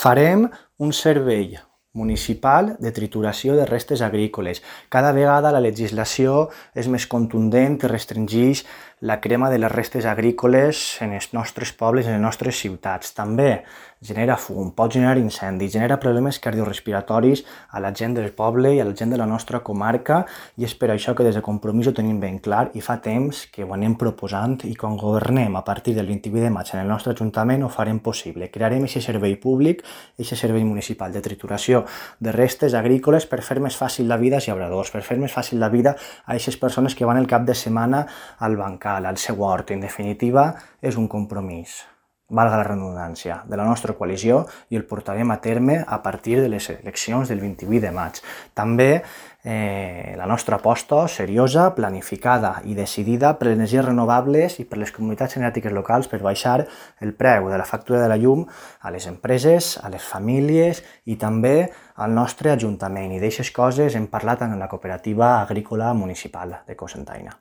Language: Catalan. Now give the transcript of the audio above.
Farem un servei municipal de trituració de restes agrícoles. Cada vegada la legislació és més contundent i restringeix la crema de les restes agrícoles en els nostres pobles, en les nostres ciutats. També genera fum, pot generar incendis, genera problemes cardiorespiratoris a la gent del poble i a la gent de la nostra comarca, i és per això que des de Compromís ho tenim ben clar i fa temps que ho anem proposant, i quan governem a partir del 28 de maig en el nostre Ajuntament ho farem possible. Crearem aquest servei públic, aquest servei municipal de trituració de restes agrícoles per fer més fàcil la vida als llauradors, per fer més fàcil la vida a aquestes persones que van el cap de setmana al bancal, al seu hort. En definitiva, és un compromís, valga la redundància, de la nostra coalició, i el portarem a terme a partir de les eleccions del 28 de maig. També la nostra aposta seriosa, planificada i decidida per les energies renovables i per les comunitats energètiques locals per baixar el preu de la factura de la llum a les empreses, a les famílies i també al nostre Ajuntament. I d'aixes coses hem parlat en la cooperativa agrícola municipal de Cocentaina.